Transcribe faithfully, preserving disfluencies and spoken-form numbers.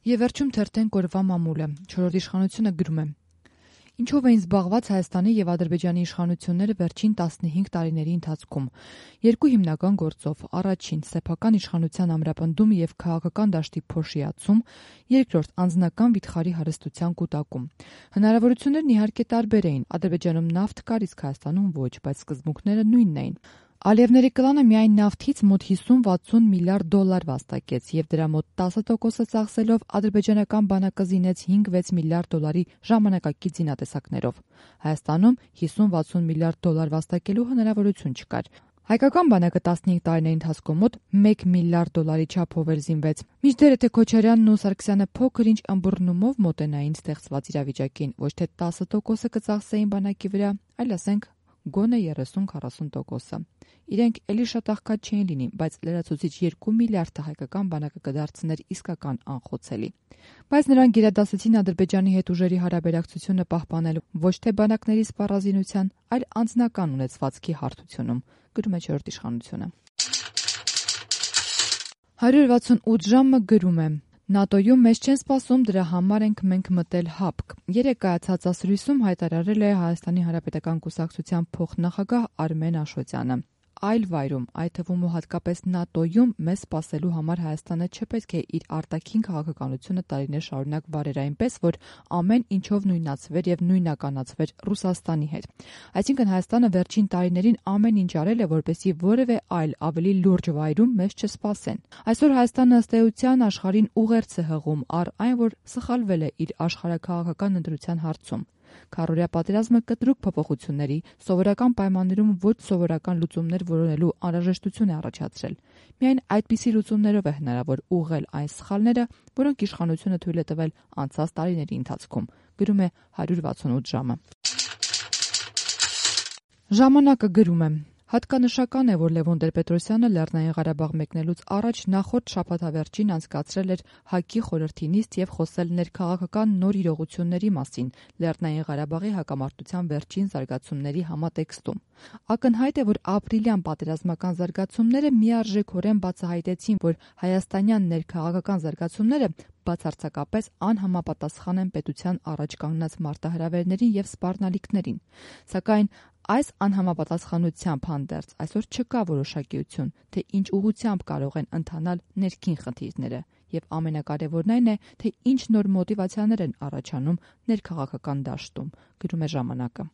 Եվ վերջում թերթենք օրվա մամուլը։ Չորրորդ իշխանությունը գրում է. Ինչով էին զբաղված Հայաստանի եւ Ադրբեջանի իշխանությունները վերջին տասնհինգ տարիների ընթացքում։ Երկու հիմնական գործով՝ առաջին՝ սեփական իշխանության ամրապնդում եւ քաղաքական դաշտի փոշիացում, երկրորդ՝ անձնական վիթխարի հարստության կուտակում։ Հնարավորություններն իհարկե տարբեր էին։ Ադրբեջանում նավթ կար, իսկ Հայաստանում ոչ, բայց սկզբունքները նույնն էին։ Ալիևների կլանը միայն նավթից մոտ հիսուն-վաթսուն միլիարդ դոլար վաստակեց եւ դրա մոտ տասը տոկոսը ծախսելով ադրբեջանական բանակը զինեց հինգ-վեց միլիարդ դոլարի ժամանակակից զինատեսակներով։ Հայաստանում հիսուն-վաթսուն միլիարդ դոլար վաստակելու հնարավորություն չկար։ Հայկական բանակը տասնհինգ տարիների ընթացքում մոտ մեկ միլիարդ դոլարի չափով էր զինվեց։ Մինչդեռ եթե Քոչարյանն ու Սարգսյանը փոքր-ինչ ըմբռնումով մոտենային ստեղծված իրավիճակին, ոչ թե տասը տոկոսը կծախսեին բանակի վրա, այլ ասենք գոնե երեսուն-քառասուն տոկոսը։ Իրենք էլի շատ աղքատ չէին լինի, բայց լրացուցիչ երկու միլիարդը հայկական բանակը կդարձներ իսկական անխոցելի։ Բայց նրանք գերադասեցին Ադրբեջանի հետ ուժերի հարաբերակցությունը պահպանելու ոչ թե բանակների սպառազինության, այլ անձնական ունեցվածքի հարթությունում, գրում է չորրորդ իշխանությունը։ հարյուր վաթսունութ ժամը գրում է. ՆԱՏՕ-ում մեզ չեն սպասում, դրա համար ենք մենք մտել ՀԱՊԿ։ Երեկ կայացած ասուլիսում հայտարարել է Հայաստանի Հանրապետական կուսակցության փոխնախագահ Արմեն Աշոտյանը։ Այլ վայրում, այդ թվում ու հատկապես ՆԱՏՕ-ում մեզ սպասելու համար Հայաստանը չպետք է իր արտաքին քաղաքականությունը տարիներ շարունակ վարեր այնպես, որ ամեն ինչով նույնացվեր եւ նույնականացվեր Ռուսաստանի հետ։ Այսինքն Հայաստանը վերջին տարիներին ամեն ինչ արել է, որպեսզի որևէ այլ ավելի լուրջ վայրում մեզ չսպասեն։ Այսօր Հայաստանը ըստ էության աշխարհին ուղերձ է հղում առ այն, որ սխալվել է իր աշխարհաքաղաքական ընտրության հարցում։ Քառօրյա պատերազմը կտրուկ փոփոխությունների, սովորական պայմաններում ոչ սովորական լուծումներ որոնելու անհրաժեշտություն է առաջացրել։ Միայն այդպիսի լուծումներով է հնարավոր ուղղել այն սխալները, որոնք իշխանությունը թույլ է տվել անցած տարիների ընթացքում, գրում է հարյուր վաթսունութ ժամը։ Ժամանակը գրում է. Հատկանշական է, որ Լևոն Տեր-Պետրոսյանը Լեռնային Ղարաբաղ մեկնելուց առաջ նախորդ շաբաթավերջին անցկացրել էր ՀԱԿ-ի խորհրդի նիստ եւ խոսել ներքաղաքական նոր իրողությունների մասին Լեռնային Ղարաբաղի հակամարտության վերջին զարգացումների համատեքստում։ Ակնհայտ է, որ ապրիլյան պատերազմական զարգացումները միարժեքորեն բացահայտեցին, որ հայաստանյան ներքաղաքական զարգացումները բացարձակապես անհամապատասխան են պետության առաջ կանգնած մարտահրավերներին եւ սպառնալիքներին։ Սակայն այս անհամապատասխանությամբ հանդերձ այսօր չկա որոշակիություն, թե ինչ ուղղությամբ կարող են ընթանալ ներքին խնդիրները, եւ ամենակարևորն այն է, թե ինչ նոր մոտիվացիաներ են առաջանում ներքաղաքական դաշտում, գրում է ժամանակը։